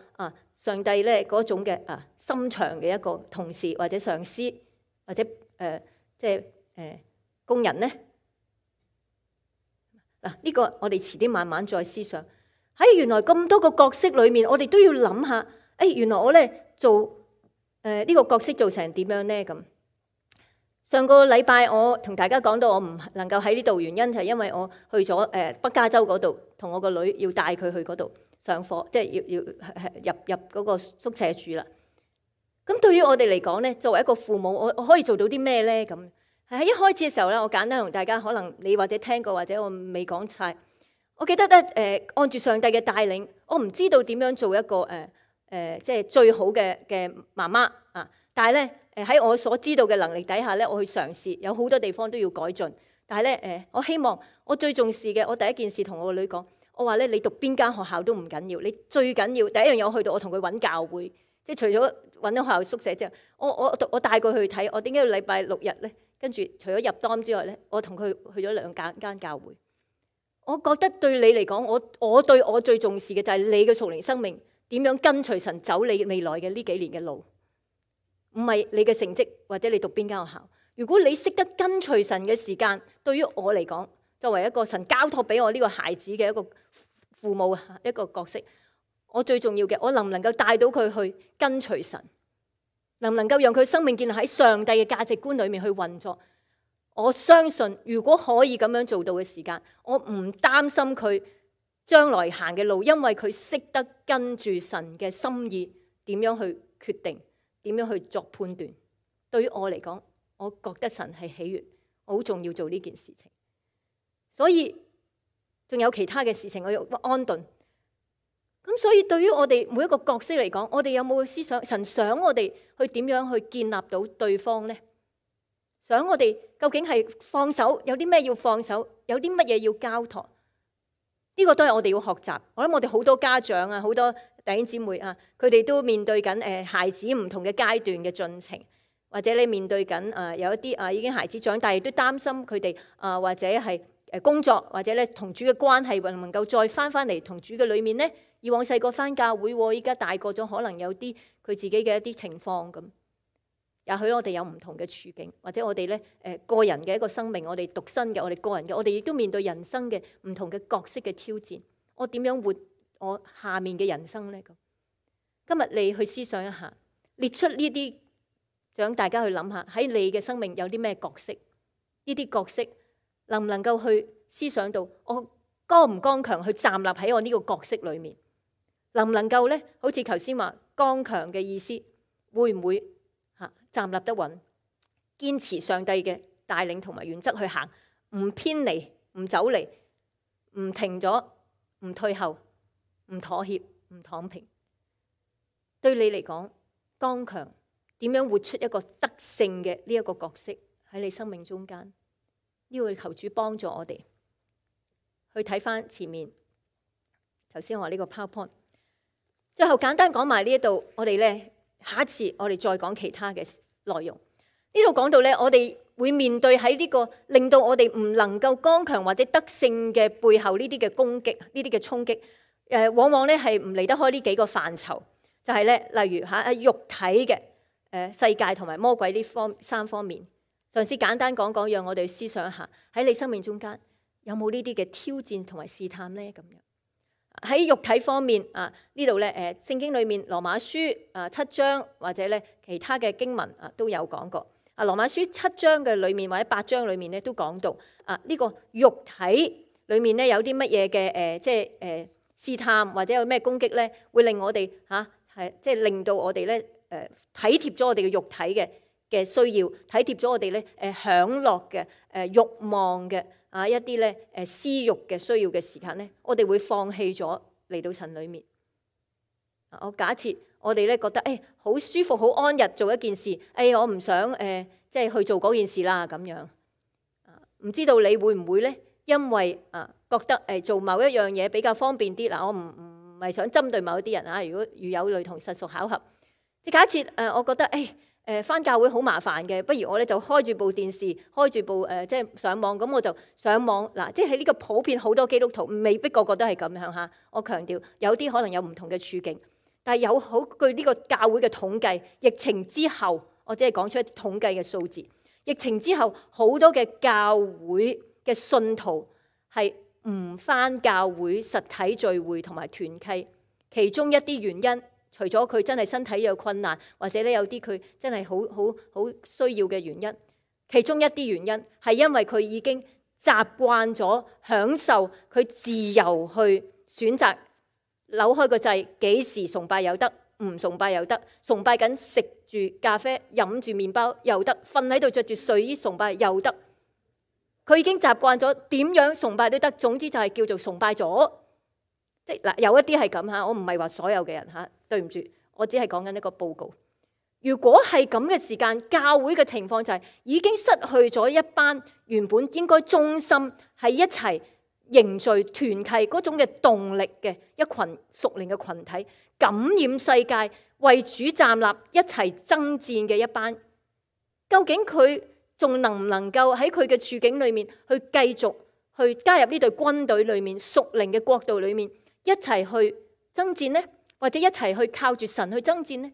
上帝咧嗰種嘅心腸嘅一個同事或者上司或者即係工人咧？嗱，呢個我哋遲啲慢慢再思想。喺原來咁多個角色裏面，我哋都要諗下，原來我咧做呢個角色做成點樣咧？咁上個禮拜我同大家講到，我唔能夠喺呢度，原因就係因為我去咗北加州嗰度，同我個女要帶佢去嗰度上課，即係要入嗰個宿舍住啦。咁對於我哋嚟講咧，作為一個父母，我可以做到啲咩咧？咁喺一開始嘅時候咧，我簡單同大家，可能你或者聽過，或者我未講晒。我記得咧，按住上帝嘅帶領，我唔知道點樣做一個即係最好嘅媽媽啊！但係咧，喺我所知道嘅能力底下咧，我去嘗試，有好多地方都要改進。但係咧，我希望我最重視嘅，我第一件事同我個女講，我話咧，你讀邊間學校都唔緊要，你最緊要第一樣嘢，我去到我同佢揾教會，即係除咗揾到學校宿舍之後，我帶佢去睇，我點解要禮拜6日咧？跟住除咗入 dorm 之外咧，我同佢去咗2間教會。我覺得對你嚟講，我對我最重視嘅就係你嘅屬靈生命點樣跟隨神走你未來嘅呢幾年嘅路，唔係你嘅成績或者你讀邊間學校。如果你識得跟隨神嘅時間，對於我嚟講，作為一個神交託俾我呢個孩子嘅一個父母一個角色，我最重要嘅，我能唔能夠帶到佢去跟隨神？能唔能夠讓佢生命建立喺上帝嘅價值觀裏面去運作？我相信如果可以咁樣做到嘅時間，我唔擔心佢將來行嘅路，因為佢識得跟住神嘅心意點樣去決定，點樣去作判斷。對於我嚟講，我覺得神係喜悅，我好重要做呢件事情。所以仲有其他嘅事情我要安頓。咁所以對於我哋每一個角色嚟講，我哋有冇思想神想我哋去點樣去建立到對方呢？想我哋究竟係放手，有啲咩要放手，有啲乜嘢要交託？呢個都係我哋要學習。我諗我哋好多家長啊，好多弟兄姊妹啊，佢哋都面對緊孩子唔同嘅階段嘅進程，或者你面對緊有一啲已經孩子長大，亦都擔心佢哋或者係工作，或者咧同主嘅關係能唔能夠再翻嚟同主嘅裏面呢？以往細個翻教會，依家大個咗，可能有啲佢自己嘅一啲情況咁。也許我哋有唔同嘅處境，或者我哋咧個人嘅一個生命，我哋獨身嘅，我哋個人嘅，我哋亦都面對人生嘅唔同嘅角色嘅挑戰。我點樣活我下面嘅人生呢？咁今日你去思想一下，列出呢啲，想大家去諗下喺你嘅生命有啲咩角色？呢啲角色能唔能夠去思想到我剛唔剛強去站立喺我呢個角色裏面？能唔能夠咧？好似頭先話剛強嘅意思，會唔會站立得穩，堅持上帝嘅帶領同埋原則去行，唔偏離，唔走離，唔停咗，唔退後，唔妥協，唔躺平。對你嚟講，剛強點樣活出一個得勝嘅呢一個角色喺你生命中間？呢個求主幫助我哋去睇翻前面頭先我話呢個 PowerPoint。最後簡單講埋呢一度，我哋咧下一次我哋再講其他嘅內容。呢度講到咧，我哋會面對喺呢個令到我哋唔能夠剛強或者得勝嘅背後呢啲嘅攻擊，呢啲嘅衝擊，往往咧係唔離得開呢幾個範疇，就係咧例如肉體嘅世界同埋魔鬼呢三方面。嘗試簡單講講，讓我哋思想一下喺你生命中間有冇呢啲嘅挑戰同埋試探呢？咁樣喺肉體方面呢度咧聖經裏面羅馬書7章或者咧其他嘅經文都有講過。羅馬書7章嘅裏面或者8章裏面咧都講到呢個肉體裏面咧有啲乜嘢嘅即係試探或者有咩攻擊咧，會令我哋即係令到我哋咧體貼咗我哋嘅肉體嘅需要，體貼咗我哋咧享樂嘅慾望嘅一啲咧私慾嘅需要嘅時間咧，我哋會放棄咗嚟到神裏面。我假設我哋咧覺得好舒服好安逸做一件事，我唔想即係去做嗰件事啦咁樣。唔知道你會唔會咧？因為覺得做某一樣嘢比較方便啲嗱，我唔係想針對某一啲人啊。如果如有類同實屬巧合，即係假設我覺得返教會好麻煩嘅，不如我咧就開住部電視，開住部即係上網，咁我就上網嗱。即係喺呢個普遍好多基督徒未必個個都係咁樣嚇。我強調有啲可能有唔同嘅處境，但係有好據呢個教會嘅統計，疫情之後我只係講出一啲統計嘅數字。疫情之後好多嘅教會嘅信徒係唔返教會實體聚會同埋團契，其中一啲原因，除咗佢真係身體有困難，或者咧有啲佢真係好需要嘅原因，其中一啲原因係因為佢已經習慣咗享受佢自由去選擇扭開個掣，幾時崇拜又得，唔崇拜又得，崇拜緊食住咖啡飲住麵包又得，瞓喺度着住睡衣崇拜又得。佢已經習慣咗點樣崇拜都得，總之就係叫做崇拜咗。即係嗱，有一啲係咁嚇，我唔係話所有嘅人嚇，對唔住，我只係講緊一個報告。如果係咁嘅時間，教會嘅情況就係已經失去咗一班原本應該忠心係一齊凝聚團契嗰種嘅動力嘅一群屬靈嘅群體，感染世界為主站立一齊爭戰嘅一班，究竟佢仲能唔能夠喺佢嘅處境裏面去繼續去加入呢隊軍隊裏面屬靈嘅國度裏面一齊去爭戰呢？或者一齊去靠住神去爭戰呢？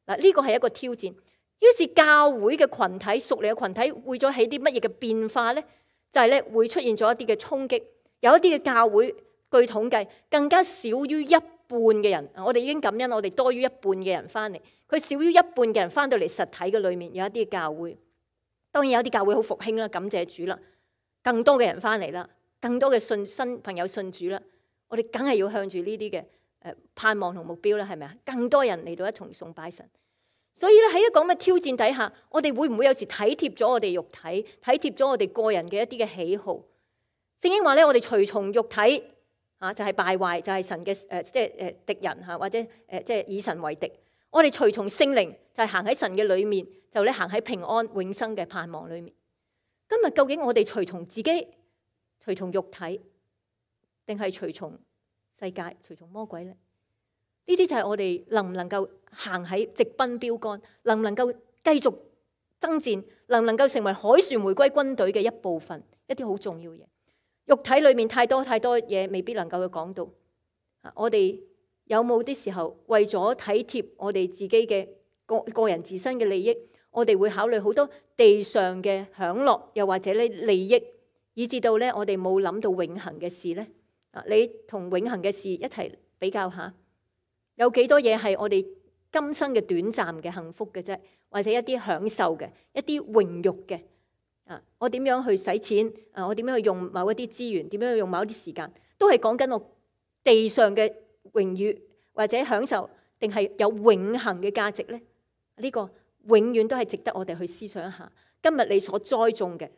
嗱，呢個係一個挑戰。於是教會嘅群體屬靈嘅群體會咗起啲乜嘢嘅變化呢？就係咧會出現咗一啲嘅衝擊。有一啲嘅教會據統計更加少於一嘅人，我哋已經感恩，我哋多於一半嘅人翻嚟，佢少於一半嘅人翻到嚟實體嘅裏面，有一啲教會，當然有啲教會好復興啦，感謝主啦，更多嘅人翻嚟啦，更多嘅新朋友信主啦，我哋梗係要向住呢啲嘅盼望同目標啦，係咪啊？更多人嚟到一同崇拜神。所以咧喺一個咁嘅挑戰底下，我哋會唔會有時體貼咗我哋肉體，體貼咗我哋個人嘅一啲嘅喜好？聖經話咧，我哋隨從肉體就係敗壞，就係神嘅即係敵人或者即係以神為敵。我哋隨從聖靈，就係行喺神嘅裏面，就咧行喺平安永生嘅盼望裏面。今日究竟我哋隨從自己，隨從肉體，定係隨從世界，隨從魔鬼咧？呢啲就係我哋能唔能夠行喺直奔標杆，能唔能夠繼續爭戰，能唔能夠成為凱旋回歸軍隊嘅一部分，一啲好重要嘅嘢。肉體裏面太多嘢未必能夠去講到。我哋有冇啲時候為咗體貼我哋自己嘅個人自身嘅利益，我哋會考慮好多地上嘅享樂，又或者咧利益，以至到咧我哋冇諗到永恆嘅事咧？你同永恆嘅事一齊比較下。有幾多嘢係我哋今生嘅短暫嘅幸福嘅啫，或者一啲享受嘅，一啲榮辱嘅。我點樣去使錢？我點樣去用某一啲資源？點樣去用某一啲時間？都係講緊我地上嘅榮譽或者享受，定係有永恆嘅價值呢？呢個永遠都係值得我哋去思想一下。今日你所栽種嘅，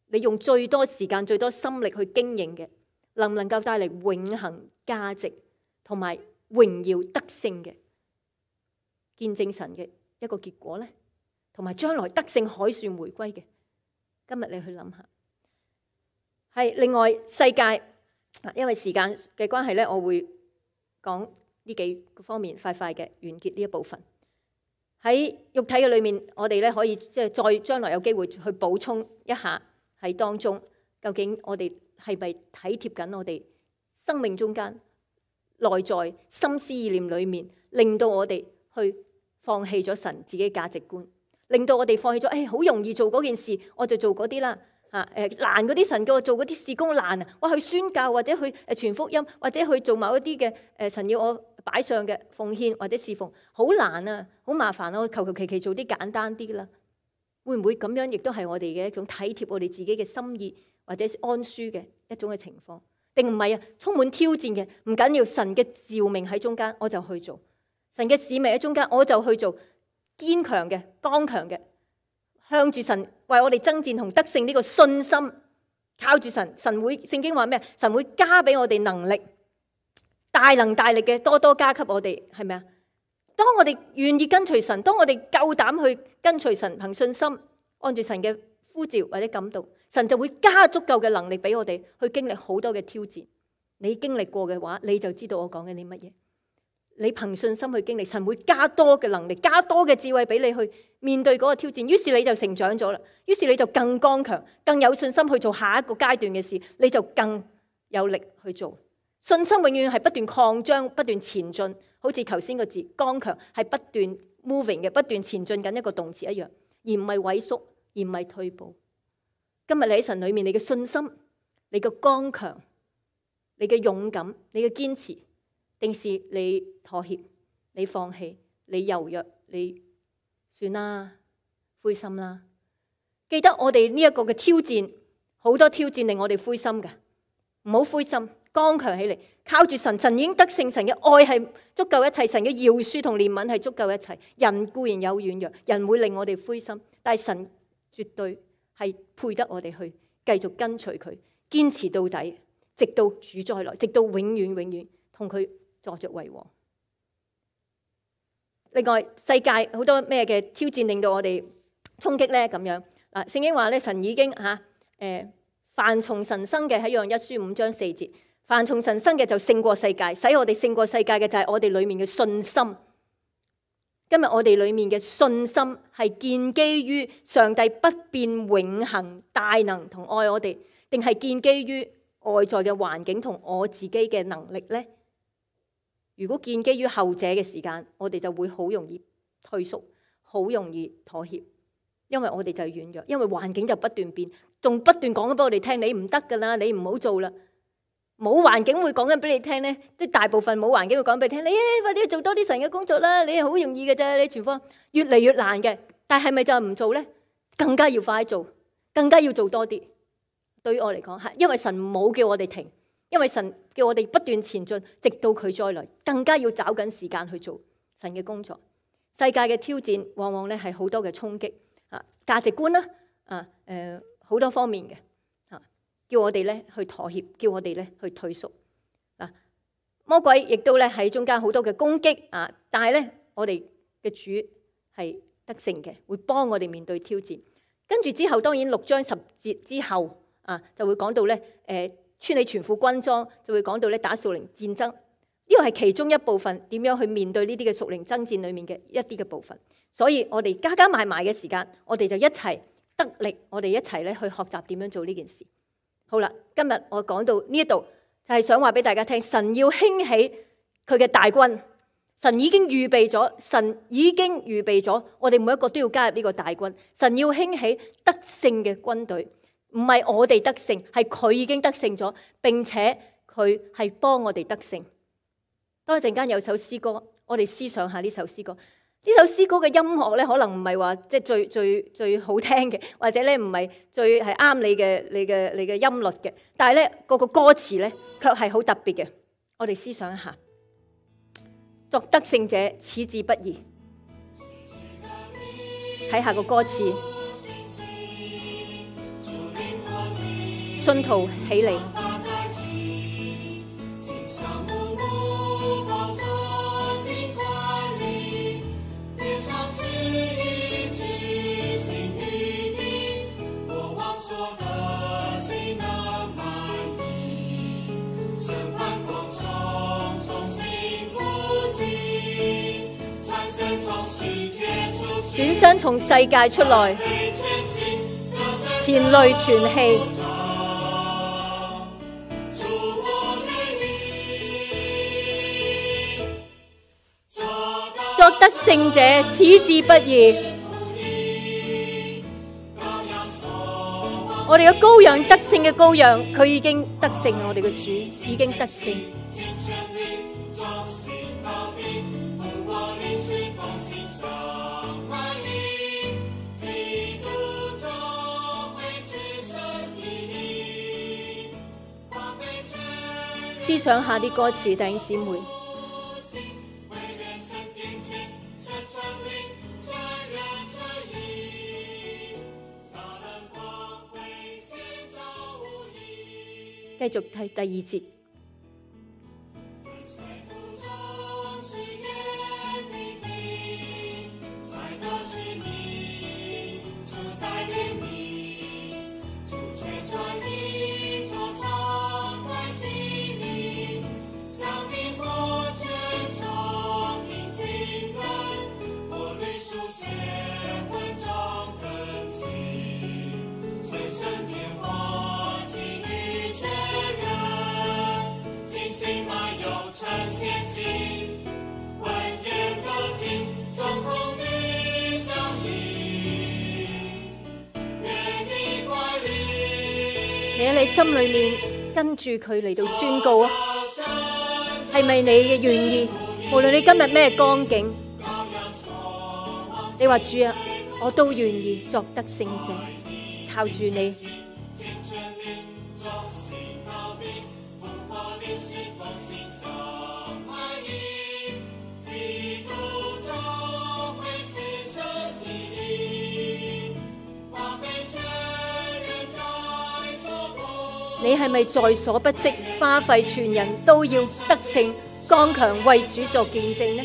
你用最多時間、最多心力去經營嘅，能唔能夠帶嚟永恆價值同埋榮耀得勝嘅見證神嘅一個結果呢？同埋將來得勝凱旋回歸嘅，今日你去諗下。係另外世界，因為時間嘅關係咧，我會講呢幾個方面，快快嘅完結呢一部分。喺肉體嘅裏面，我哋咧可以即係再將來有機會去補充一下喺當中，究竟我哋係咪體貼緊我哋生命中間內在心思意念裏面，令到我哋去放棄咗神自己價值觀，令到我哋放棄咗，好容易做嗰件事，我就做嗰啲啦。難嗰啲神叫我做嗰啲事工難啊，我去宣教或者去傳福音，或者去做某一啲嘅神要我擺上嘅奉獻或者侍奉，好難啊，好麻煩啊，我求其做啲簡單啲啦。會唔會咁樣亦都係我哋嘅一種體貼我哋自己嘅心意或者安舒嘅一種嘅情況？定唔係啊？充滿挑戰嘅，唔緊要，神嘅召命喺中間，我就去做；神嘅使命喺中間，我就去做。堅強嘅、剛強嘅，向住神為我哋爭戰同得勝呢個信心，靠住神。神會聖經話咩？神會加俾我哋能力，大能大力嘅多多加給我哋，係咪啊？當我哋願意跟隨神，當我哋夠膽去跟隨神，憑信心按住神嘅呼召或者感動，神就會加足夠嘅能力俾我哋去經歷好多嘅挑戰。你經歷過嘅話，你就知道我講緊啲乜嘢。你憑信心去經歷，神會加多嘅能力，加多嘅智慧俾你去面對嗰個挑戰。於是你就成長咗啦，於是你就更剛強，更有信心去做下一個階段嘅事，你就更有力去做。信心永遠係不斷擴張、不斷前進，好似頭先個字剛強係不斷 moving 嘅，不斷前進緊一個動詞一樣，而唔係萎縮，而唔係退步。今日你喺神裏面，你嘅信心、你嘅剛強、你嘅勇敢、你嘅堅持，定是你妥協、你放棄、你柔弱、你算啦、灰心啦？記得我哋呢一個嘅挑戰，好多挑戰令我哋灰心嘅，唔好灰心，剛強起嚟，靠住神，神已經得勝，神嘅愛係足夠一切，神嘅饒恕同憐憫係足夠一切。人固然有軟弱，人會令我哋灰心，但係神絕對係配得我哋去繼續跟隨佢，堅持到底，直到主再來，直到永遠永遠同佢坐着為王。另外，世界好多咩嘅挑戰令到我哋衝擊咧？咁樣嗱，聖經話咧，神已經凡從神生嘅，喺約翰一書5章4節，凡從神生嘅就勝過世界，使我哋勝過世界嘅就係我哋裏面嘅信心。今日我哋裏面嘅信心係建基於上帝不變永恆大能同愛我哋，定係建基於外在嘅環境同我自己嘅能力呢？如果建基於後者嘅時間，我哋就會好容易退縮，好容易妥協，因為我哋就係軟弱，因為環境就不斷變，仲不斷講緊俾我哋聽，你唔得噶啦，你唔好做啦。冇環境會講緊俾你聽咧，即係大部分冇環境會講俾你聽。你快啲做多啲神嘅工作啦，你係好容易嘅啫，你傳福音越嚟越難嘅。但係咪就唔做咧？更加要快做，更加要做多啲。對於我嚟講，係因為神冇叫我哋停，因為神叫我哋不斷前進，直到佢再來，更加要找緊時間去做神嘅工作。世界嘅挑戰往往咧係好多嘅衝擊啊，價值觀啦，好多方面嘅啊，叫我哋咧去妥協，叫我哋咧去退縮啊。魔鬼亦都咧喺中間好多嘅攻擊啊，但係咧我哋嘅主係得勝嘅，會幫我哋面對挑戰。跟住之後，當然6章10節之後啊，就會講到咧穿起全副軍裝，就會講到咧打屬靈戰爭。呢個係其中一部分，點樣去面對呢啲嘅屬靈爭戰裡面嘅一啲嘅部分。所以我哋加埋嘅時間，我哋就一齊得力，我哋一齊咧去學習點樣做呢件事。好啦，今日我講到呢一度，就係想話俾大家聽，神要興起佢嘅大軍，神已經預備咗，我哋每一個都要加入呢個大軍。神要興起得勝嘅軍隊，唔係我哋得勝，係佢已經得勝咗，並且佢係幫我哋得勝。當一陣間有首詩歌，我哋思想下呢首詩歌。呢首詩歌嘅音樂咧，可能唔係話即係最好聽嘅，或者咧唔係最係啱你嘅音律嘅。但係咧個歌詞咧，卻係好特別嘅。我哋思想一下，作得勝者，始至不移。睇下個歌詞，信徒起嚟。轉身從世界出來，前淚全棄。作得勝者，始至不移。我哋嘅羔羊，得勝嘅羔羊，佢已經得勝，我哋嘅主已經得勝。思想下啲歌詞，弟兄姊妹。繼續睇第2節。你喺你心裏面跟住佢嚟到宣告啊，係咪你嘅願意？無論你今日咩光景，你話主啊，我都願意作得勝者，靠住你。你係咪在所不惜，花費全人都要得勝，剛強為主作見證呢？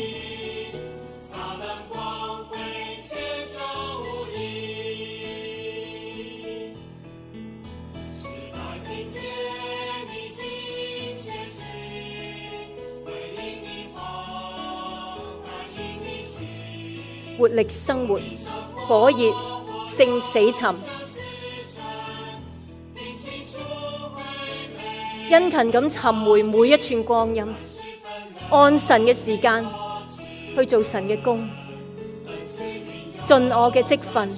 活力生活，火熱勝死沉。殷勤咁尋回每一寸光陰，按神嘅時間去做神嘅工，盡我嘅職分，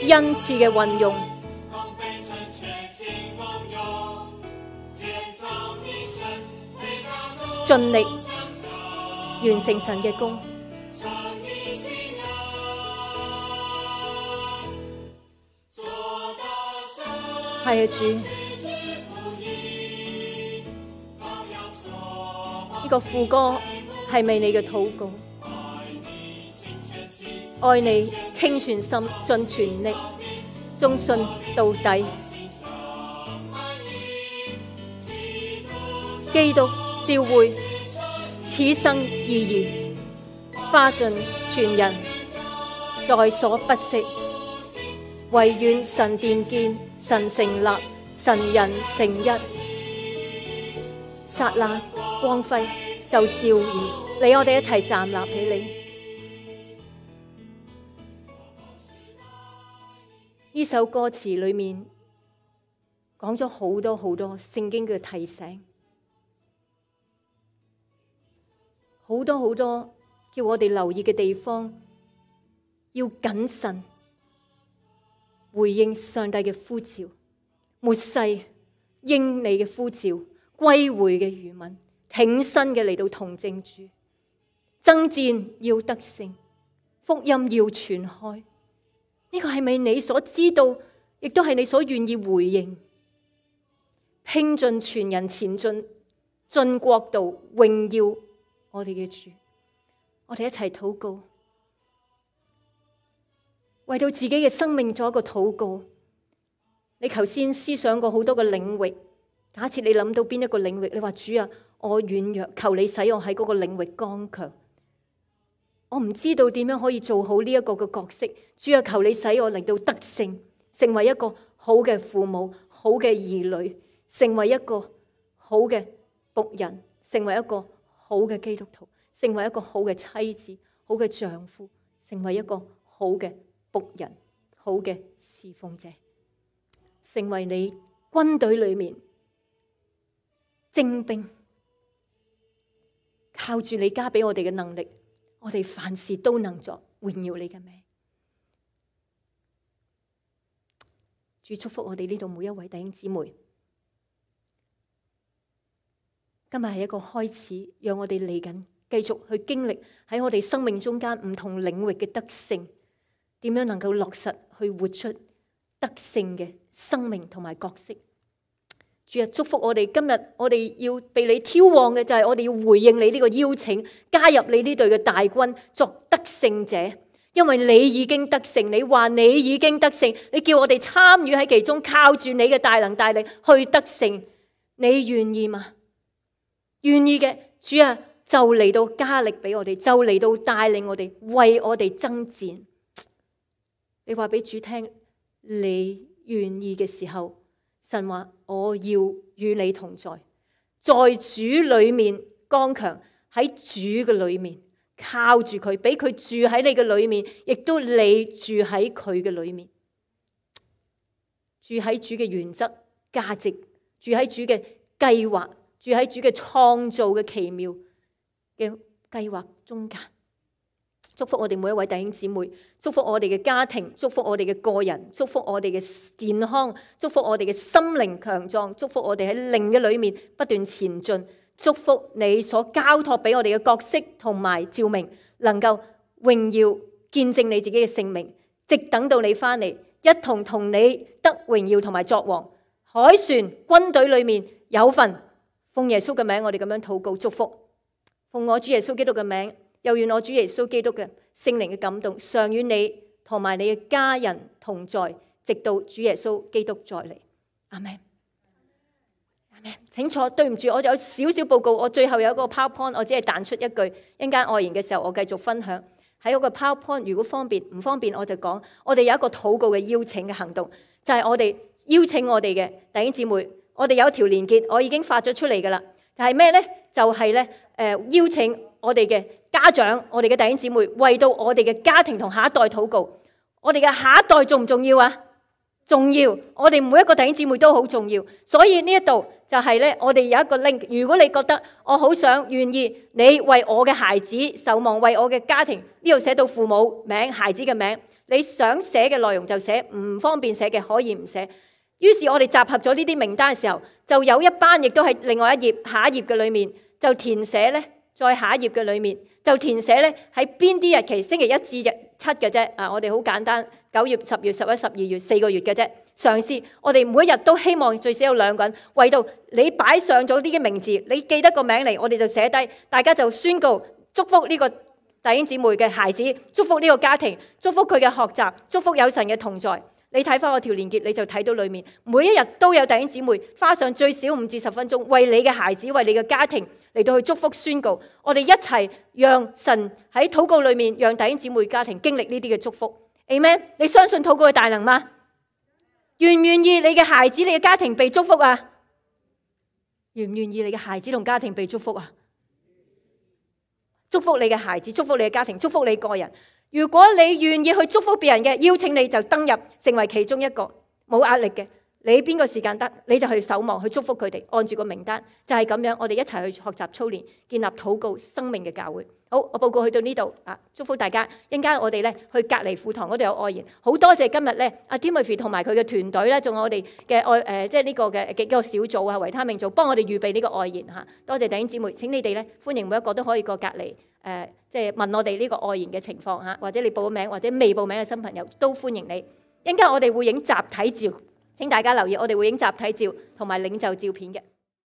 恩賜嘅運用。盡力完成神嘅工。係啊，主，呢個副歌係咪你嘅禱告？愛你傾全心盡全力，忠信到底。基督召會此生意義，花盡全人，在所不惜。唯願神殿建，神成立，神人成一。剎那光輝就照耀你，我哋一齊站立起嚟。呢首歌詞裏面講咗好多好多聖經嘅提醒，好多好多叫我哋留意嘅地方，要謹慎回應上帝嘅呼召，末世應你嘅呼召，歸回嘅餘民，挺身嘅嚟到同證主，爭戰要得勝，福音要傳開。呢個係咪你所知道，亦都係你所願意回應？拼盡全人前進，進國度榮耀我哋嘅主。我哋一齊禱告，為到自己嘅生命做一個禱告。你頭先思想過好多個領域，假設你諗到邊一個領域，你話主啊，我軟弱，求你使我喺嗰個領域剛強。我唔知道點樣可以做好呢一個嘅角色，主啊，求你使我嚟到得勝，成為一個好嘅父母、好嘅兒女，成為一個好嘅僕人，成為一個好嘅基督徒，成為一個好嘅妻子、好嘅丈夫，成為一個好嘅僕人、好嘅侍奉者，成為你軍隊裏面精兵，靠住你加俾我哋嘅能力，我哋凡事都能作，榮耀你嘅名。主祝福我哋呢度每一位弟兄姊妹。今日係一個開始，讓我哋嚟緊繼續去經歷喺我哋生命中間唔同領域嘅得勝，點樣能夠落實去活出得勝嘅生命同埋角色。主啊，祝福我哋今日，我哋要被你挑旺嘅就係我哋要回應你呢個邀請，加入你呢隊嘅大軍作得勝者。因為你已經得勝，你話你已經得勝，你叫我哋參與喺其中，靠住你嘅大能大力去得勝。你願意嗎？願意嘅，主啊，就嚟到加力俾我哋，就嚟到帶領我哋，為我哋爭戰。你話俾主聽，你願意嘅時候，神話我要與你同在，在主裏面剛強，喺主嘅裏面靠住佢，俾佢住喺你嘅裏面，亦都你住喺佢嘅裏面，住喺主嘅原則價值，住喺主嘅計劃，住喺主嘅創造嘅奇妙嘅計劃中間。祝福我哋每一位弟兄姊妹，祝福我哋嘅家庭，祝福我哋嘅個人，祝福我哋嘅健康，祝福我哋嘅心靈強壯，祝福我哋喺靈嘅裏面不斷前進，祝福你所交託俾我哋嘅角色同埋召命，能夠榮耀見證你自己嘅聖名，直等到你翻嚟，一同同你得榮耀同埋作王。凱旋軍隊裏面有份，奉耶穌嘅名，我哋咁樣禱告祝福，奉我主耶穌基督嘅名。又願我主耶穌基督嘅聖靈嘅感動，常與你同埋你嘅家人同在，直到主耶穌基督再嚟。阿們，阿們。請坐，對唔住，我有少少報告，我最後有一個 PowerPoint， 我只係彈出一句，一陣間外言嘅時候，我繼續分享。喺嗰個 PowerPoint， 如果方便唔方便，我就講，我哋有一個禱告嘅邀請嘅行動，就係我哋邀請我哋嘅弟兄姊妹，我哋有一條連結，我已經發咗出嚟噶啦，就係咩呢？就係咧，邀請我哋嘅家長，我哋嘅弟兄姊妹，為到我哋嘅家庭同下一代禱告。我哋嘅下一代重唔重要啊？重要，我哋每一個弟兄姊妹都好重要。所以呢一度就係咧，我哋有一個 link。如果你覺得我好想願意，你為我嘅孩子守望，為我嘅家庭，呢度寫到父母名、孩子嘅名，你想寫嘅內容就寫，唔方便寫嘅可以唔寫。於是我哋集合咗呢啲名單嘅時候，就有一班亦都係另外一頁下一頁嘅裏面。就填寫咧，再下一頁嘅裏面就填寫咧喺邊啲日期，星期一至日7嘅啫。我哋好簡單，9月、10月、11、12月4個月嘅啫。嘗試我哋每一日都希望最少有2個人，為到你擺上咗啲嘅名字，你記得個名嚟，我哋就寫低，大家就宣告祝福呢個弟兄姊妹嘅孩子，祝福呢個家庭，祝福佢嘅學習，祝福有神嘅同在。你睇翻我條連結，你就睇到裏面每一日都有弟兄姊妹花上最少5至10分鐘，為你嘅孩子，為你嘅家庭嚟到去祝福宣告。我哋一齊讓神喺禱告裏面，讓弟兄姊妹家庭經歷呢啲嘅祝福。Amen。你相信禱告嘅大能嗎？願唔願意你嘅孩子、你嘅家庭被祝福啊？願唔願意你嘅孩子同家庭被祝福啊？祝福你嘅孩子，祝福你嘅家庭，祝福你個人。如果你願意去祝福別人嘅，邀請你就登入成為其中一個，冇壓力嘅。你邊個時間得，你就去守望去祝福佢哋，按住個名單就係咁樣。我哋一齊去學習操練，建立禱告生命嘅教會。好，我報告去到呢度啊！祝福大家。一陣間我哋咧去隔離課堂嗰度有愛言，好多謝今日咧阿 Timothy 同埋佢嘅團隊咧，仲有我哋嘅愛即係呢個嘅幾個小組啊，維他命組幫我哋預備呢個愛言嚇。多謝弟兄姊妹，請你哋咧歡迎每一個都可以過隔離即係問我哋呢個愛言嘅情況嚇，或者你報名或者未報名嘅新朋友都歡迎你。一陣間我哋會影集體照，請大家留意，我哋會影集體照同埋領袖照片嘅。